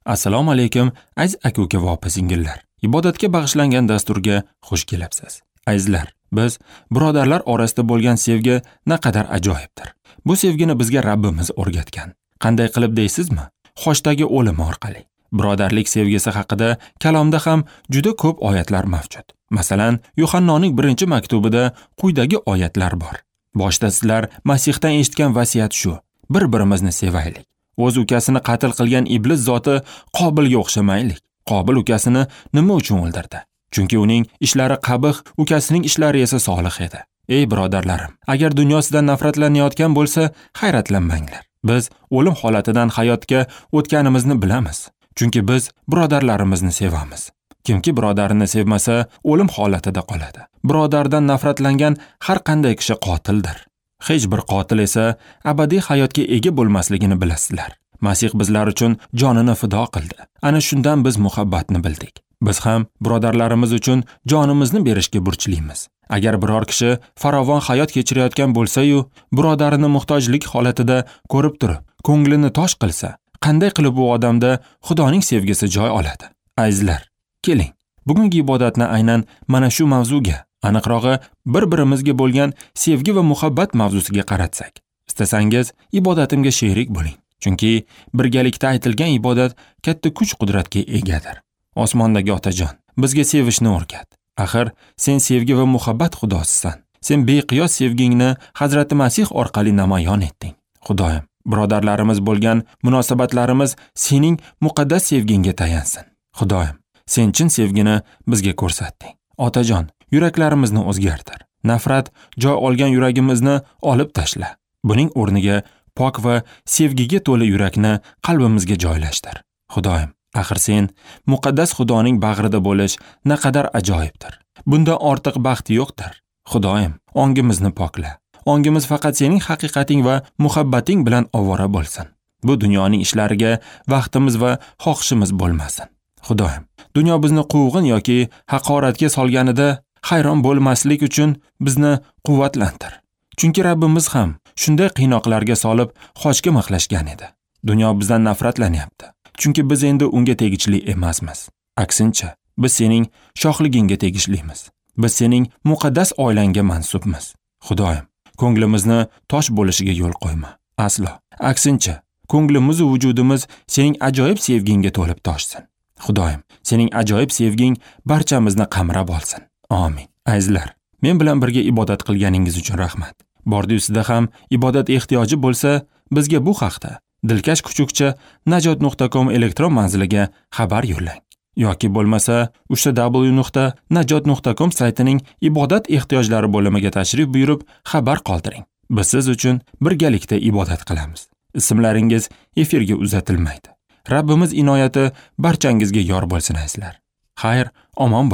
Assalomu alaykum, aziz aka-uka va opa-singillar. Ibodatga bag'ishlangan dasturga xush kelibsiz. Azizlar, biz birodarlar orasida bo'lgan sevgi naqadar ajoyibdir. Bu sevgini bizga Rabbimiz o'rgatgan. Qanday qilib deysizmi? Xochdagi o'lim orqali. Birodarlik sevgisi haqida kalomda ham juda ko'p oyatlar mavjud. Masalan, Yuhannoning 1-maktubida quyidagi oyatlar bor. Boshda sizlar Masihdan eshitgan vasiyat shu: bir-birimizni sevaylik. O'z ukasini qatl qilgan iblis zoti Qobilga o'xshamaylik. Qobil ukasini nima uchun o'ldirdi? Chunki uning ishlari qabih, ukasining ishlari esa solih edi. Ey birodarlarim, agar dunyo sizdan nafratlanayotgan bo'lsa, hayratlanmanglar. Biz o'lim holatidan hayotga o'tganimizni bilamiz. Chunki biz birodarlarimizni sevamiz. Kimki birodarini sevmasa, o'lim holatida qoladi. Birodardan nafratlangan har qanday kishi qotildir. Hech bir qotil esa abadiy hayotga ega bo'lmasligini bilasizlar. Masih bizlar uchun jonini fido qildi. Ana shundan biz muhabbatni bildik. Biz ham birodarlarimiz uchun jonimizni berishga burchlimiz. Agar biror kishi farovon hayot kechirayotgan bo'lsa-yu, birodarini muhtojlik holatida ko'rib turib, ko'nglini tosh qilsa, qanday qilib u odamda Xudoning sevgisi joy oladi? Azizlar, keling, bugungi ibodatni aynan mana shu mavzuga, aniqrog'i bir-birimizga bo'lgan sevgi va muhabbat mavzusiga qaratsak. Istasangiz, ibodatimga sherik bo'ling. Chunki birgalikda aytilgan ibodat katta kuch-qudratga egadir. Osmondagi Otajon, bizga sevishni o'rgat. Axir, sen sevgi va muhabbat Xudosisan. Sen beqiyos sevgingni Hazrati Masih orqali namoyon etding. Xudoyim, birodarlarimiz bo'lgan munosabatlarimiz sening muqaddas sevgingga tayansin. Xudoyim, sen chin sevgini bizga ko'rsatding. Otajon, yuraklarimizni o'zgartir. Nafrat joy olgan yuragimizni olib tashla. Buning o'rniga pok va sevgiga to'la yurakni qalbimizga joylashtir. Xudoyim, axir sen muqaddas Xudoning bag'rida bo'lish naqadar ajoyibdir. Bundan ortiq baxt yo'qdir. Xudoyim, ongimizni pokla. Ongimiz faqat sening haqiqating va muhabbating bilan ovora bo'lsin. Bu dunyoning ishlariga vaqtimiz va xohishimiz bo'lmasin. Xudoyim, dunyo bizni quvg'in yoki haqoratga solganida hayron bo'lmaslik uchun bizni quvvatlantir. Chunki Rabbimiz ham shunday qiynoqlarga solib xochga mixlashgan edi. Dunyo bizdan nafratlanyapti. Chunki biz endi unga tegishli emasmiz. Aksincha, biz sening shohligingga tegishlimiz. Biz sening muqaddas oilangga mansubmiz. Xudoyim, ko'nglimizni tosh bo'lishiga yo'l qo'yma. Aslo. Aksincha, ko'nglimiz va vujudimiz sening ajoyib sevgingga to'lib toshsin. Xudoyim, sening ajoyib sevging barchamizni qamrab olsin. Amin. Azizlar, men bilan birga ibodat qilganingiz uchun rahmat. Bordi sizda ham ibodat ehtiyoji bo'lsa, bizga bu haqda dilkash@najot.com elektron manziliga xabar yo'llang. Yoki bo'lmasa www.najot.com saytining ibodat ehtiyojlari bo'limiga tashrif buyurib xabar qoldiring. Biz siz uchun birgalikda ibodat qilamiz. Ismlaringiz efirga uzatilmaydi. Rabbimiz inoyati barchangizga yor bo'lsin azizlar. Xayr, omon bo'ling.